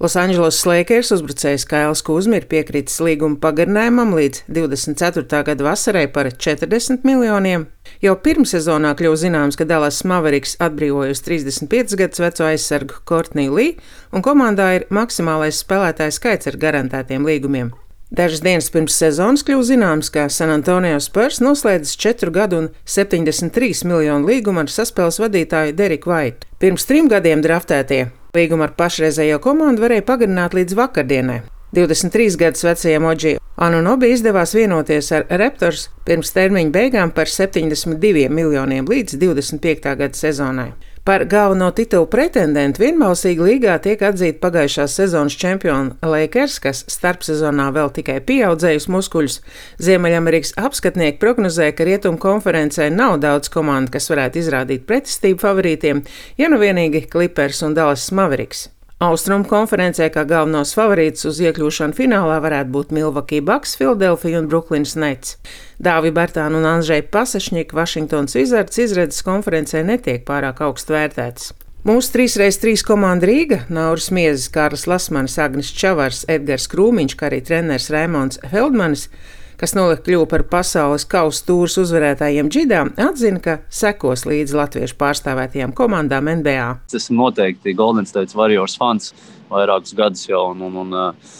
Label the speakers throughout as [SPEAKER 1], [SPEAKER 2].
[SPEAKER 1] Losandželosas Lakers uzbrucējs Kails Kuzma ir piekritis līguma pagarinājumam līdz 24. gada vasarai par 40 miljoniem. Jau pirmssezonā kļuva zināms, ka Dallas Mavericks atbrīvojusi 35 gadus veco aizsargu Courtney Lee, un komandā ir maksimālais spēlētāju skaits ar garantētiem līgumiem. Dažas dienas pirms sezonas kļuva zināms, ka San Antonio Spurs noslēdzis 4 gadu un 73 miljonu līgumu ar saspēles vadītāju Deriku Vaitu. Pirms 3 gadiem draftētie līgumu ar pašreizējo komandu varēja pagarināt līdz vakardienai. 23 gadus vecajam Oji Anunobi izdevās vienoties ar Raptors pirms termiņa beigām par 72 miljoniem līdz 25. gada sezonai. Par galveno titulu pretendentu vienbalsīgi līgā tiek atzīta pagājušās sezonas čempiona Lakers, kas starpsezonā vēl tikai pieaudzējusi muskuļus. Ziemeļamerikas apskatnieki prognozē, ka Rietumu konferencē nav daudz komandu, kas varētu izrādīt pretestību favorītiem, ja nu vienīgi Clippers un Dallas Mavericks. Austrumu konferencē kā galvenos favorītus uz iekļūšanu finālā varētu būt Milwaukee Bucks, Philadelphia un Brooklyn Nets. Dāvi Bertāna un Andžeja Pasašņika Washingtons Wizards izredzes konferencē netiek pārāk augstu vērtētas. Mūsu 3x3 komanda Rīga, Nauris Miezis, Kārlis Lasmanis, Agnis Čavars, Edgars Krūmiņš, kā arī treneris Raimonds Feldmanis, kas nolika kļuva par pasaules kausa tūras uzvarētājiem džidā, atzina, ka sekos līdz latviešu pārstāvētajām komandām NBA.
[SPEAKER 2] Esmu noteikti Golden State Warriors fans vairākus gadus jau, un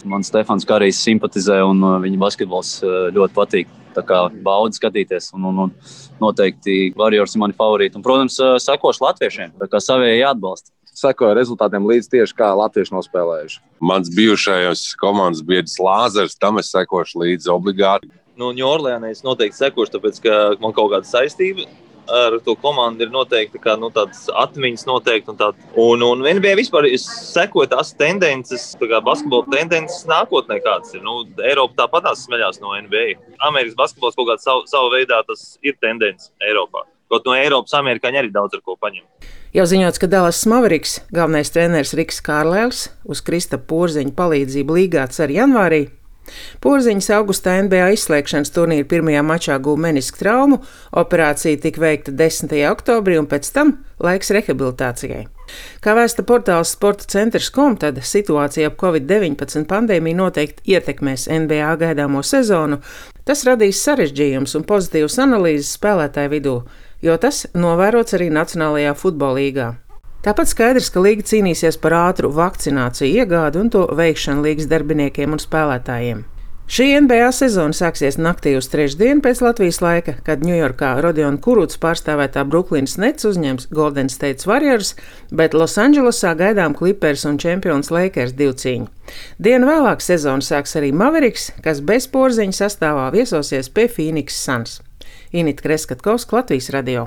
[SPEAKER 2] man Stefans Karijs simpatizē, un viņa basketbols ļoti patīk. Tā kā baudi skatīties, un noteikti Warriors ir mani favorīti. Un, protams, sekošu latviešiem, tā kā savējie jāatbalsta.
[SPEAKER 3] Sekoju rezultātiem līdz tieši kā latvieši nospēlējuši.
[SPEAKER 4] Mans bijušajos komandas biedrs Lāzars, tam es sekošu līdzi obligāti.
[SPEAKER 5] Ņūorleānai es noteikti sekošu, tāpēc, ka man kaut kāda saistība ar to komandu ir noteikti, kā tādas atmiņas noteikti. Un NBA vispār es sekoju tās tendences, tā kā basketbola tendences nākotnē kādas ir. Eiropa tāpatās smeļās no NBA. Amerikas basketbols kaut kādā savu veidā tas ir tendence Eiropā. Kaut no Eiropas amerikāņi arī daudz ar ko paņem.
[SPEAKER 1] Jau ziņots, ka Dallas Mavericks galvenais treneris Riks Kārlēls uz Kristapa Porziņa palīdzību līgā cer janvārī. Porziņas augustā NBA izslēgšanas turnīra pirmajā mačā guva menisku traumu, operācija tika veikta 10. oktobrī un pēc tam laiks rehabilitācijai. Kā vēsta portāls sportacentrs.com, tad situācija ap Covid-19 pandēmiju noteikti ietekmēs NBA gaidāmo sezonu. Tas radīs sarežģījums un pozitīvas analīzes spēlētāju vidū, jo tas novērots arī Nacionālajā futbola līgā. Tāpat skaidrs, ka līga cīnīsies par ātru vakcināciju iegādi un to veikšanu līgas darbiniekiem un spēlētājiem. Šī NBA sezona sāksies naktī uz trešdienu pēc Latvijas laika, kad Ņujorkā Rodiona Kurucs pārstāvētā Brooklyn Nets uzņems Golden State Warriors, bet Losandželosā gaidām Clippers un čempions Lakers divcīņu. Dienu vēlāk sezonu sāks arī Mavericks, kas bez Porziņa sastāvā viesosies pie Phoenix Suns. Inita Kreskatkovska, Latvijas radio.